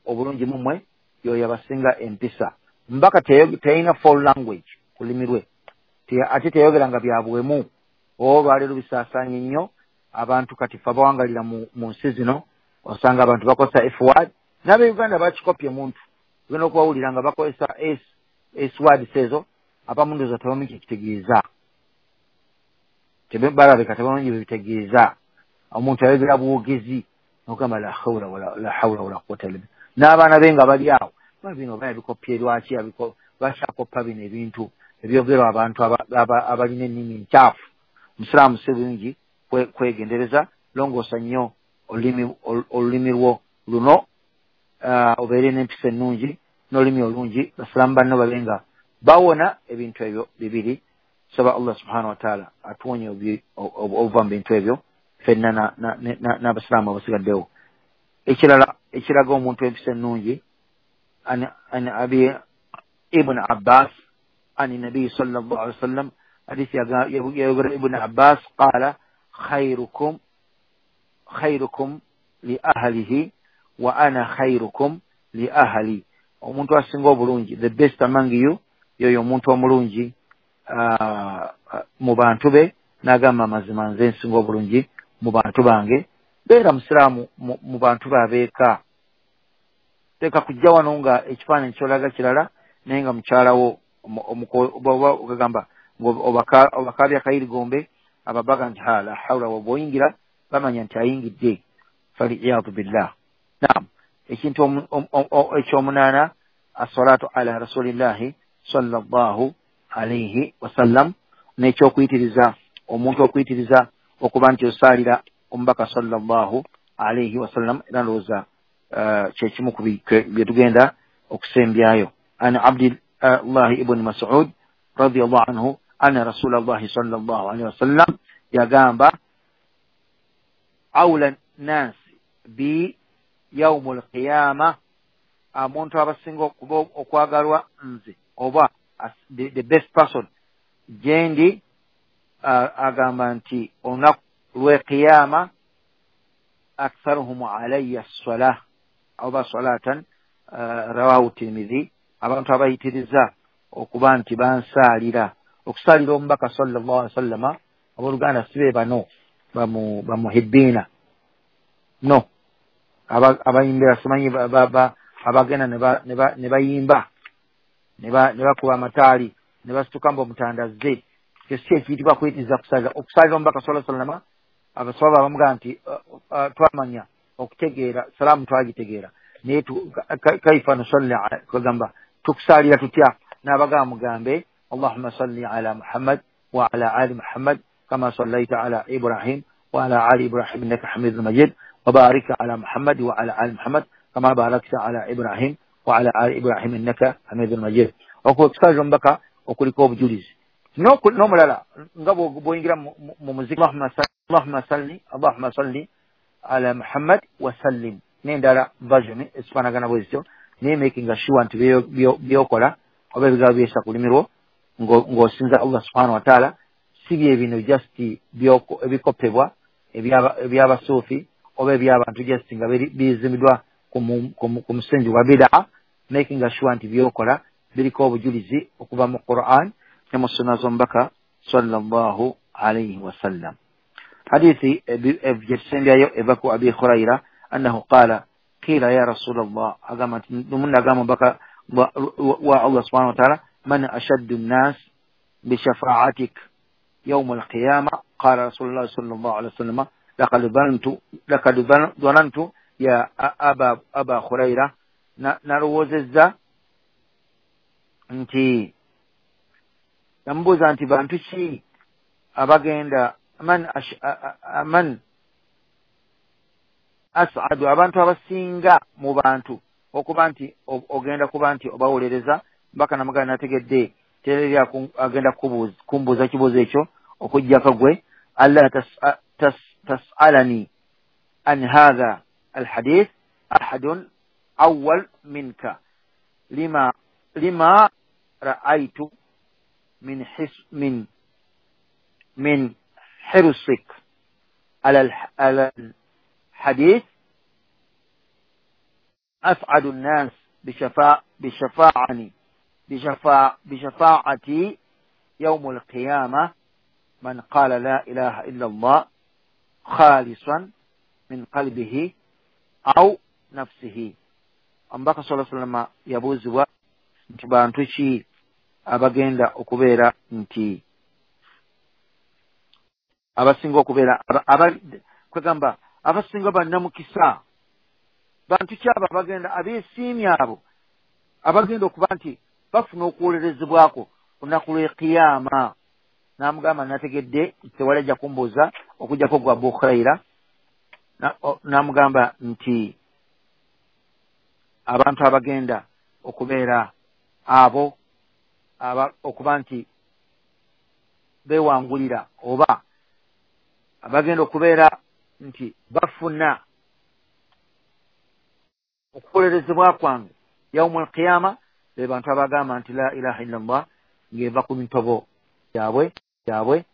obulungi mumwe yoyo abasinga empisa. Mbaka teyalina foul language ku lulimi lwe, ate teyogeranga bya bwemu. Olwaleero bisaasaanye nnyo abantu kati ffe abawangalira mu nsi zino, osanga abantu bakozesa F word, n'abeuganda bakikopye muntu ogenda okubawulira nga bakozesa S S words ezo, abamu ndowooza tebamanyi kye kitegeeza, balabika tebamanyi bye bitegeeza. Omuntu ayogera bwogezi n'ogamba la hawla wala la hawla wala quwwata illa billah, n'abaana be nga bali awo bino oba yabikopye lwaki lwaki akoppa bino ebintu ebyogerwa abantu abalina ennimi enkyafu. Omusiraamu si bulungi kwegendereza, longoosa nnyo olulimi lwo luno, obeere n'empisa ennungi n'olulimi olungi, basiraamu banno babe nga bawona ebintu ebyo bibiri. Saba Allah subhanahu wa ta'ala atuwonye obuva mu bintu ebyo ffenna n'abasiraamu abasigaddewo. Ekirala ekiraga omuntu empisa ennungi, an Abi Ibn Abbas an Nabi sallallahu alaihi wasallam, hadisi yayogera Ibn Abbas qala khairukum khairukum li ahlihi wa ana khairukum li ahli. Omuntu asinga obulungi, the best among you, yoyo omuntu omulungi uh, mu bantu be, n'agamba amazima nze nsinga obulungi mu bantu bange. Beera musiraamu mu bantu babeeka, teeka kujja wano nga ekifaananyi kyolaga kirala, naye nga mukyalawo ogamba obakaabya kayirigombe, ababaga nti ha la hawla, bw'oyingira bamanya nti ayingidde, faliyadu billah. Naam, ekintu ekyomunaana, assalatu ala rasulillahi sallallahu alayhi wasallam, n'ekyokuyitiriza omuntu okuyitiriza okuba nti osaalira omubaka sallallahu alayhi wasallam. Era ndowooza kyekimu ku bye tugenda okusembyayo. An Abdillahi ibn Mas'ud radiyallahu anhu anna rasulallahi sallallahu alayhi wasallam yagamba awla nasi bi yaumul qiyama, omuntu abasinga okuba okwagalwa nze oba the, the best person gyendi, agamba nti olunaku lw'eqiyama aktharuhum alayya ssalah oba salatan, rawahu Tirmidhi. Abantu abayitiriza okuba nti bansaalira, okusaalira omubaka sallallahu alaihi wasallama, abooluganda si be bano bamuhibbiina, no abayimbira simanyi abagenda ne bayimba ne bakuba amataali ne basituka mbu omutandazze. Ekyo si ekiyitibwa kuyitiriza kusaalira. Okusaalira omubaka sallallahu alaihi wasallama, abaswahaba bamugamba nti twamanya okutegeera salaamu twagitegeera, naye kaifa nusalli, kagamba tukusaalira tutya? N'abagamba mugambe Allahumma salli ala Muhammad wa ala ali Muhammad kama sallaita ala Ibrahim wa ala ali Ibrahim innaka hamidun majid wa barik ala Muhammad wa ala ali Muhammad kama barakta ala Ibrahim wa ala ali Ibrahim innaka hamidun majid. Okwo okusaalira omubaka okuliko obujulizi. N'omulala nga bw'oyingira mu muziki, Allahumma salli Allahumma salli ala Muhammad wa sallim, n'endala version ezifaanagana bwe zityo, naye making sure nti byokola oba ebigambo byesa ku lulimi lwo ng'osinza Allah subhanahu wa ta'ala, si bye bino just ebikopebwa ebyabasuufi oba ebyabantu just nga bizimbiddwa ku musingi gwa bid'a. Making sure nti byokola biriko obujulizi okuva mu Quran ne mu sunna z'omubaka sallallahu alayhi wasallam. Hadithi gyetusembyayo eva ku Abi Huraira annahu qala qila ya Rasulallah, agamba nti lumunna agamba omubaka wa Allah subhanahu wa ta'ala, man ashaddu nnas bishafaatik yawma alqiyama? Qala Rasulullah sallallahu alayhi wasallam, laqad dhanantu laqad dhanantu ya aba aba Huraira, nalowoozezza nti namubuuza nti bantu ki abagenda man man as'adu, abantu abasinga mu bantu okuba nti ogenda kuba nti obawolereza. Mbaka namugamba nategedde tereri agenda kumbuuza kibuuzo ekyo okuggyako gwe. Alla tas'alani an hadha alhadith ahadun awwal minka lima lima ra'aytu min his min min hirsik ala ala alhadith as'adu an-nas bishafa bishafa'ani bishafa bishafa'ati yawm al-qiyamah man qala la ilaha illa Allah khalisan min qalbihi aw nafsihi. Omubaka sallallahu alayhi wasallam yabuuzibwa nti bantu ki abagenda okubeera nti abasinga okubeera kwegamba abasinga bannamukisa, bantu ki abo abagenda abeesiimye abo abagenda okuba nti bafuna okuwolerezebwako ku lunaku lw'ekiyama. N'amugamba nategedde tewali ajja kumbuuza okuggyako gwa Abu Huraira. N'amugamba nti abantu abagenda okubeera abo okuba nti beewangulira oba abagenda okubeera nti bafuna okuwolerezebwa kwange yawmul qiyama be bantu abagamba nti la ilaha illa Allah ng'eva ku mitobo gyabwe gyabwe.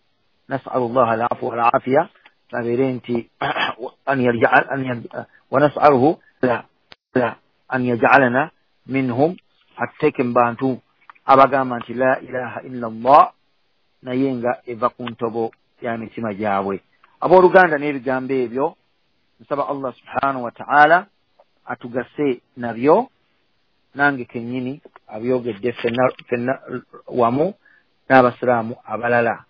Nasalu llaha alafu walafiya, babeere nti wa nasaluhu an yajalana minhum, atuteeke mu bantu abagamba nti la ilaha illa Allah naye nga eva ku ntobo ya mitima gyabwe. Abooluganda, n'ebigambo ebyo nsaba Allah subhanahu wa ta'ala atugase nabyo, nange kennyini abyogedde ffenna wamu n'abasiraamu abalala.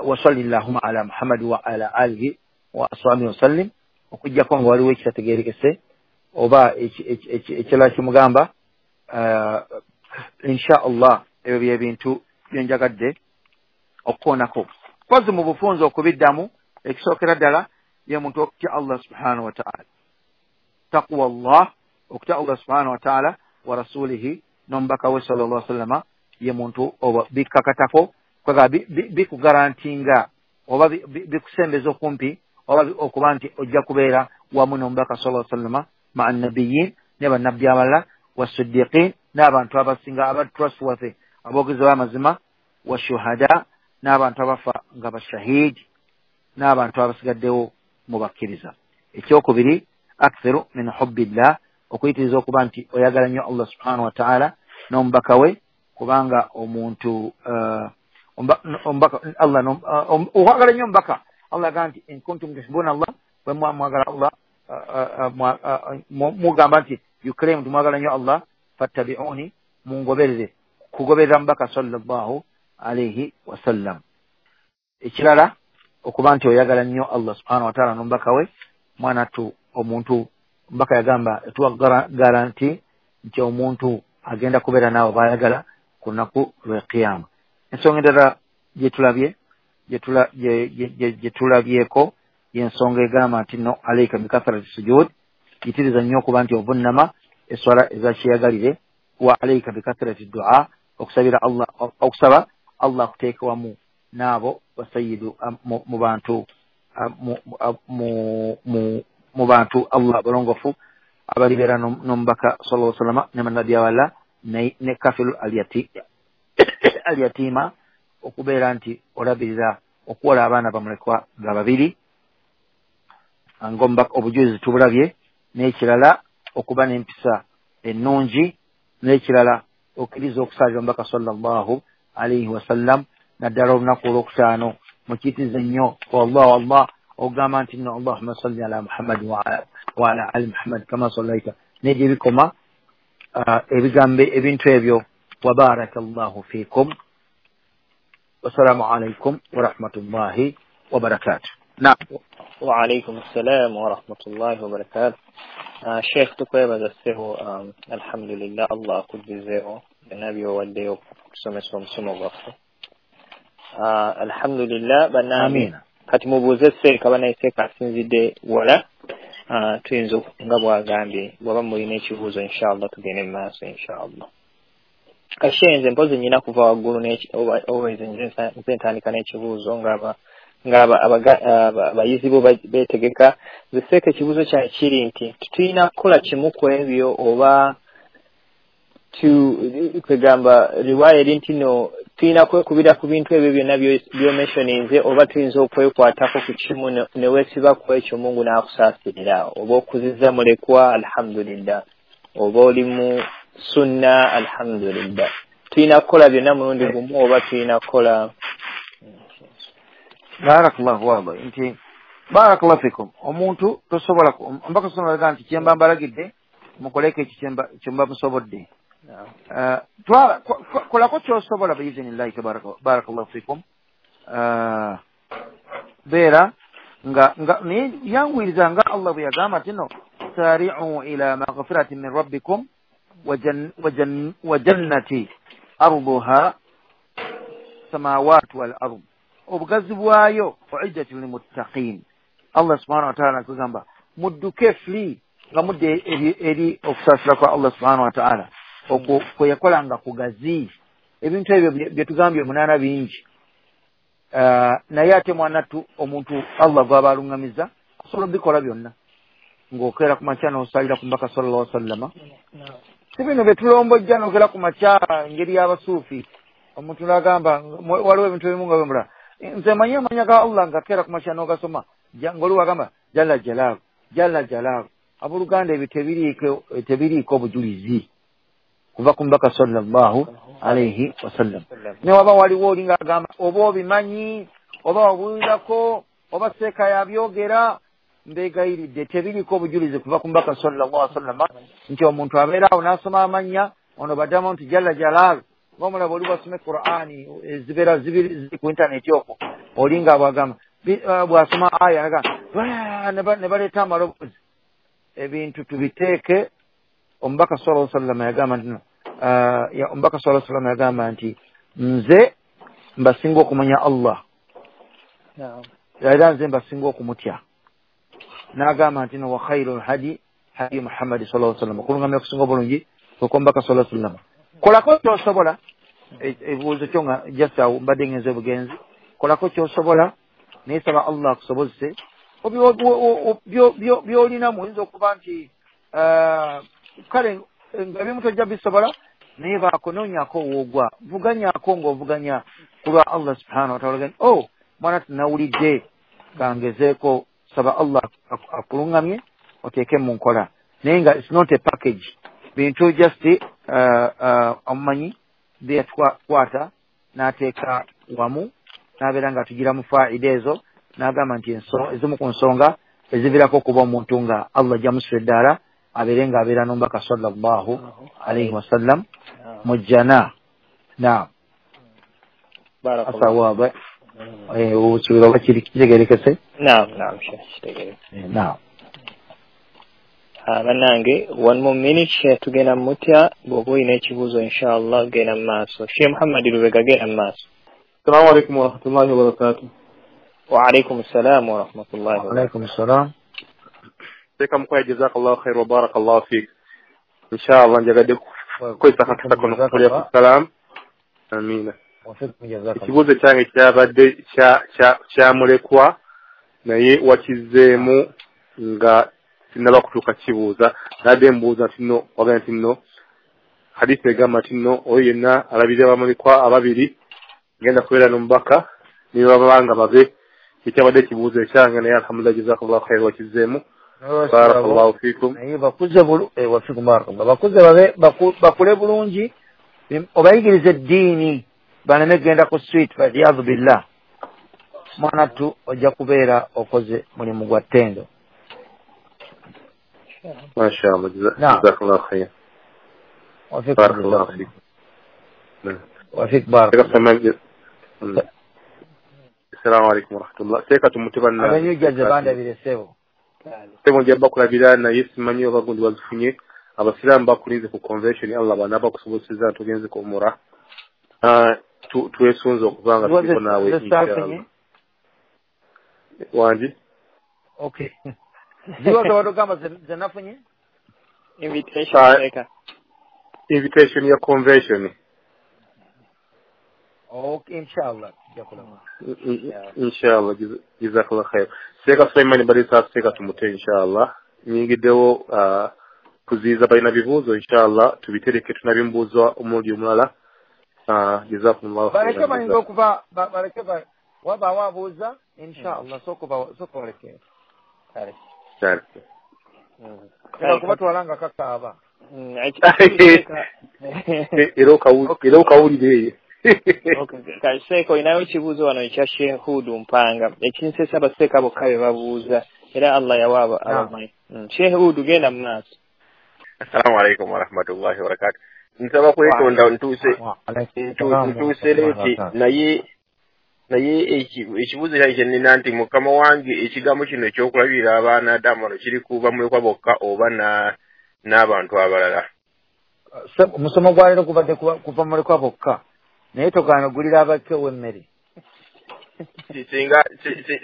Wa salli llahumma ala Muhammad wa ala alihi wa ashabihi wasallim. Okuggyako nga waliwo ekitategeerekese oba ekirala kimugamba, insha Allah ebyo bye bintu bye njagadde okukoonako. Kozi mu bufunze okubiddamu, ekisookera ddala ye muntu okutya Allah subhanahu wa ta'ala, taqwa Allah, okutya Allah subhanahu wa ta'ala wa rasulihi n'omubaka we sallallahu alaihi wasallama, ye muntu oba bikkakatako kwega bikugarantinga oba bikusembeza okumpi oba okuba nti ojja kubeera wamu n'omubaka sallallahu alaihi wasallama ma'a nabiyyin, ne bannabbi abalala, wasiddiqin, n'abantu abasinga aba trustworthy aboogezi b'amazima, washuhada, n'abantu abafa nga bashahidi, n'abantu abasigaddewo mu bakkiriza. Ekyokubiri, aktharu min hubbillah, okuyitiriza okuba nti oyagala nnyo Allah subhanahu wa ta'ala n'omubaka we, kubanga omuntu omubaka Allah okwagala nnyo omubaka. Allah agamba nti in kuntum tuhibbuna Allah, bwe muba mwagala Allah, mugamba nti you claim nti mwagala nnyo Allah, fattabi'uni, mungoberere, kugoberera mubaka sallallahu alayhi wasallam. Ekirala okuba nti oyagala nnyo Allah subhanahu wa ta'ala n'omubaka we, mwana tu omuntu omubaka yagamba etuwa garanti nti omuntu agenda kubeera naawe bayagala ku lunaku lw'ekiyama. Ensonga endala gyetulabye gye tulabyeko y'ensonga egamba nti no alaika bikathrati sujud, yitiriza nnyo okuba nti ovunnama eswala ezakyeyagalire, wa alaika bikathrati dua, okusabira Allah, okusaba Allah akuteeka wamu n'abo basayidu mu bantu mu bantu Allah balongofu abalibeera n'omubaka sallallahu alaihi wasallam ne bannabbi abalala ne kafiru alyatima okubeera nti olabirira okuwola abaana bamulekwa nga babiri ng'omubaka obujulizi tubulabye n'ekirala okuba n'empisa ennungi n'ekirala okkiriza okusaalira omubaka sallallahu alaihi wasallam naddala olunaku olwokutaano mukiyitirize nnyo wallah wallah ogamba nti nno allahumma salli ala muhammadi wa ala ali muhammad kama sallaita negye bikoma ebigambo ebintu ebyo wa baraka llahu fikum wassalamu alaikum warahmatullahi wabarakatuh. Naam. Wa alaikum assalam wa rahmatullahi wa barakatuh. Uh, Sheikh tukwebaza ssebo um, alhamdulillah Allah akuddizeewo byonna by'owaddeyo okusomesa omusomo gwaffe. Uh, alhamdulillah bannange kati mubuuze seeka banaye seeka asinzidde wala uh, tuyinza nga bw'agambye bw'aba mulina ekibuuzo inshallah tugende mu maaso inshallah. Kashe nze mpozi nnyina kuva waggulu always nze ntandika n'ekibuuzo ng'aba ng'abayizi bo beetegeka. Nze seeka ekibuuzo kyange kiri nti tulina kukola kimu ku ebyo oba kwegamba riwaya eri nti no tulina kwekubira ku bintu ebyo byonna by'omentioninze oba tuyinza okwekwatako ku kimu ne weesiba ku ekyo Mungu n'akusaasirira oba okuzizza mulekwa alhamdulillah oba oli mu sunna alhamdulillah. Tulina kukola byonna mulundi gumu oba tulina kukola? Barakallahu waba nti barakallahu fikum omuntu tosobola mbaka sobola nti kyemba mbalagidde mukoleko ekyo kyemba musobodde. Twala kolako kyosobola biiznillahi tabaraka barakallahu fikum. Beera nga nga yanguyiriza nga Allah bwe yagamba nti no sari'u ila maghfiratin min rabbikum wa jannati arduha samawati wal ard obugazi bwayo uiddat lilmuttaqin. Allah subhanahu wa ta'ala akugamba mudduke fli nga mudde eri okusaasira kwa Allah subhanahu wa ta'ala okwo kwe yakola nga kugazi. Ebintu ebyo bye tugambye munaana bingi, naye ate mwanattu omuntu Allah gw'aba aluŋŋamiza asobola obikola byonna ng'okeera ku makya n'osaalira ku mbaka sallallahu alaihi wasallama. Si bino bye tulombojja n'okeera ku makya engeri y'abasuufi omuntu n'agamba waliwo ebintu ebimu nga bwemula nze manyi amanya ga Allah nga keera ku makya n'ogasoma ng'oli wagamba jalla jalaalu jalla jalaalu. Abooluganda ebyo tebiriiko tebiriiko obujulizi kuva ku mbaka sallallahu alaihi wasallam. Ne waba waliwo oli ng'agamba oba obimanyi oba obuulirako oba seeka yabyogera, mbeegayiridde tebiriiko obujulizi kuva ku mbaka sallallahu alaihi wasallam nti omuntu abeera awo n'asoma amannya ono baddamu nti jalla jalaalu ng'omulaba oli bwasoma Qur'ani ezibeera ziri ku intaneti okwo oli nga bwagamba bw'asoma aya nagamba ne baleeta amaloboozi. Ebintu tubiteeke. Omubaka sallallahu alaihi wasallam yagamba nti omubaka sallallahu alaihi wasallam yagamba nti nze mbasinga okumanya Allah era nze mbasinga okumutya. N'agamba nti no wa khairul hadi hadi Muhammad sallallahu alaihi wasallam, okulungamya okusinga obulungi okw'omubaka sallallahu alaihi wasallam. Kolako ky'osobola, ebibuuzo kyo nga just awo mbadde ngenze obugenzi. Kolako ky'osobola naye saba Allah akusobozese by'olinamu. Oyinza okuba nti kale nga ebimu tojja bisobola naye baako noonyako woogwa vuganyako ng'ovuganya ku lwa Allah subhanahu wa ta'ala. Oh mwana tunawulidde kangezeeko, saba Allah akuluŋŋamye oteeke mu nkola, naye nga it's not a package. Bintu just omumanyi byeyatkwata n'ateeka wamu n'abeera nga atugira mu faida ezo n'agamba nti ezimu ku nsonga eziviirako okuba omuntu nga Allah ajja musula eddaala abeere ng'abeera n'omubaka sallallahu alaihi wasallam mu jjana. Naam, asawaaba osuubira oba kiri kitegeerekese? Naam, naam, kitegeerekese. Naam. Bannange one more minute Sheikh tugenda mutya bw'oba olina ekibuuzo inshallah genda mu maaso. Sheikh Muhammad Lubega genda mu maaso. Assalamu alaikum warahmatullahi wabarakatuh. Wa alaikum assalam wa rahmatullahi wa alaikum assalam. Sheikh Mukwaya jazakallahu khair wa barakallahu fik. Inshallah njagadde kukozesa akakisa kano okukulya ku salam. Amina. Ekibuuzo kyange kyabadde kyamulekwa naye wakizzeemu nga sinnaba kutuuka kibuuza. Nadde mbuuza nti nno wagamba nti nno hadithi egamba nti nno oyo yenna alabirira bamulekwa ababiri genda kubeera n'omubaka ne babanga babe. Ekyabadde ekibuuzo ekyange naye alhamdulillah jazakallahu khairan wakizzeemu. Barakallahu fikum. Naye bakuze wafikum barakallah bakuze babe bakule bulungi obayigirize eddiini baleme kugenda ku street waliyadhu billah. Mwana tu ojja kubeera okoze mulimu gwa ttendo. Mashallah jazakallahu khairan. Barakallahu fikum. Wafik barakallah. Assalamu alaikum warahmatullah. Seeka tumuteba abanyujja bandabire ssebo. Sebo nja bakulabira naye simanyi oba gundi wazifunye. Abasiraamu bakulinze ku convention Allah banaaba kusobozesa tugenze ku umura. Twesunze okuba nga tuliko naawe inshallah. Wangi? Okay. Ziwa zawatogamba zenafunye? Invitation seeka. Invitation ya convention. Okay, inshallah. Inshallah jazakallah khair. Seeka Sulaiman Barisa seeka tumute inshallah. Nyingiddewo kuziiza balina bibuuzo inshallah tubitereke tunabimbuuza omulundi omulala. Jazakumullahu khairan. Baleke bayinza okuva baleke wabaawo abuuza inshallah sooka baleke. Kale. Kale. Kubatwala nga kakaaba. Era okawulire eyo. Kale seeka olinayo ekibuuzo wano ekya Sheikh Hudu Mpanga ekinsesa abaseeka bokka be babuuza era Allah yawa abamanyi. Sheikh Hudu genda mu maaso. Assalamu alaikum warahmatullahi wabarakatuh. Nsaba kwetonda ntuuse ntuuse leeti naye naye ekibuuzo kyange kye nnina nti mukama wange ekigambo kino ekyokulabirira abaana Adamu wano kiri kuba mulekwa bokka oba n'abantu abalala? Omusomo gwa leero gubadde kuva mulekwa bokka naye togaana ogulira abakewo emmere. Singa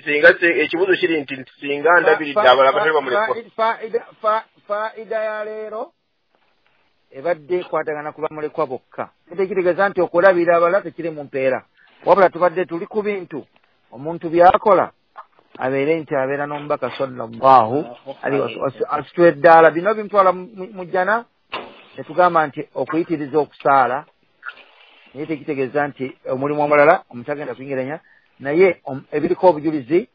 singa ekibuuzo kiri nti singa ndabiridde abalala batali bamulekwa. Faida ya leero ebadde ekwatagana kuba mulekwa bokka. Tekitegeeza nti okulabirira abalala tekiri mu mpeera. Wabula tubadde tuli ku bintu omuntu by'akola abeere nti abeera n'omubaka sallallahu alaihi wasallam asitula eddaala. Bino bimutwala mu jjana ne tugamba nti okuyitiriza okusaala naye tekitegeeza nti omulimu omulala omuntu agenda kuyingiranya naye ebiriko obujulizi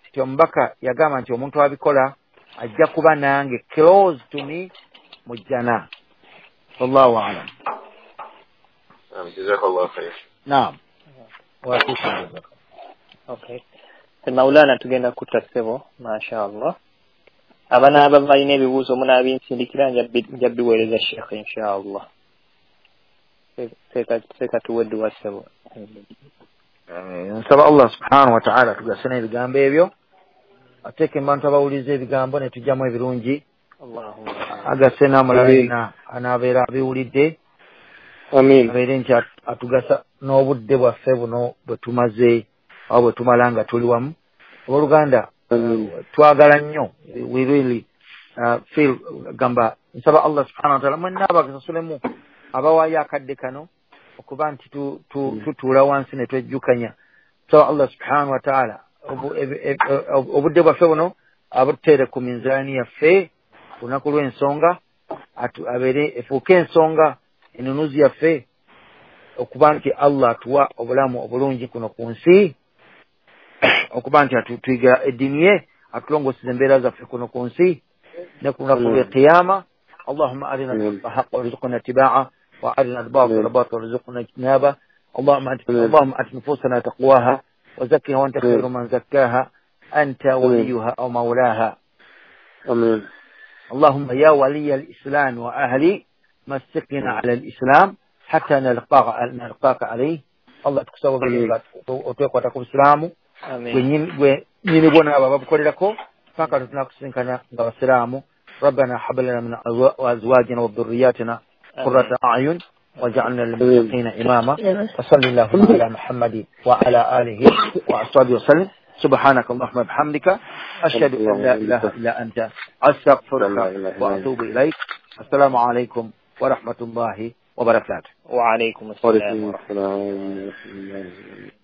nti omubaka yagamba nti omuntu abikola ajja kuba nange close to me mu jjana. Wallahu a'lam. Jazakallahu khair. Naam. Okay. Maulana tugenda kutta ssebo mashallah. Abanaaba balina ebibuuzo munaabinsindikira nja biweereza Sheikh inshallah. Seeka tuwe edduwa ssebo. Nsaba Allah subhanahu wa ta'ala tugase n'ebigambo ebyo ateeke mu bantu abawuliriza ebigambo ne tujjamu ebirungi. Agase n'amulala yenna anaabeera abiwulidde. Amin. Abeere nti atugasa n'obudde bwaffe buno bwe tumaze oba bwe tumala nga tuli wamu. Abooluganda twagala nnyo we really uh, feel gamba nsaba Allah subhanahu wa ta'ala mwenna abakasasulemu abawaayo akadde kano okuba nti tutuula wansi ne twejjukanya. Nsaba Allah subhanahu wa ta'ala obudde bwaffe buno abuteere ku minzaani yaffe ku lunaku lw'ensonga abeere efuuke ensonga enunuzi yaffe okuba nti Allah atuwa obulamu obulungi kuno ku nsi okuba nti atuyiga eddiini ye atulongooseza embeera zaffe kuno ku nsi ne ku lunaku lw'ekiyama. Allahumma arina al-haqqa haqqan warzuqna ittiba'ah wa arina al-batila batilan warzuqna ijtinabah. Allahumma Allahumma ati nufusana taqwaha wa zakkiha wa anta khayru man zakkaha anta waliyuha aw mawlaha. Amin. Allahumma ya waliya al-islam wa ahli مسكنا على الإسلام حتى نلقاك نلقاك عليه. Allah tukusaba otwekwata ku Busiraamu gwe nyini bwona abo ababukolerako paka tunakusinkana nga Basiraamu. ربنا هب لنا من أزواجنا وذرياتنا قرة أعين واجعلنا للمتقين إماما. وصلى اللهم على محمد وعلى آله وأصحابه وسلم. سبحانك اللهم وبحمدك أشهد أن لا إله إلا أنت أستغفرك وأتوب إليك. السلام عليكم ورحمة الله Wabarakatuh. Wa alaikum assalam. Wa alaikum assalam.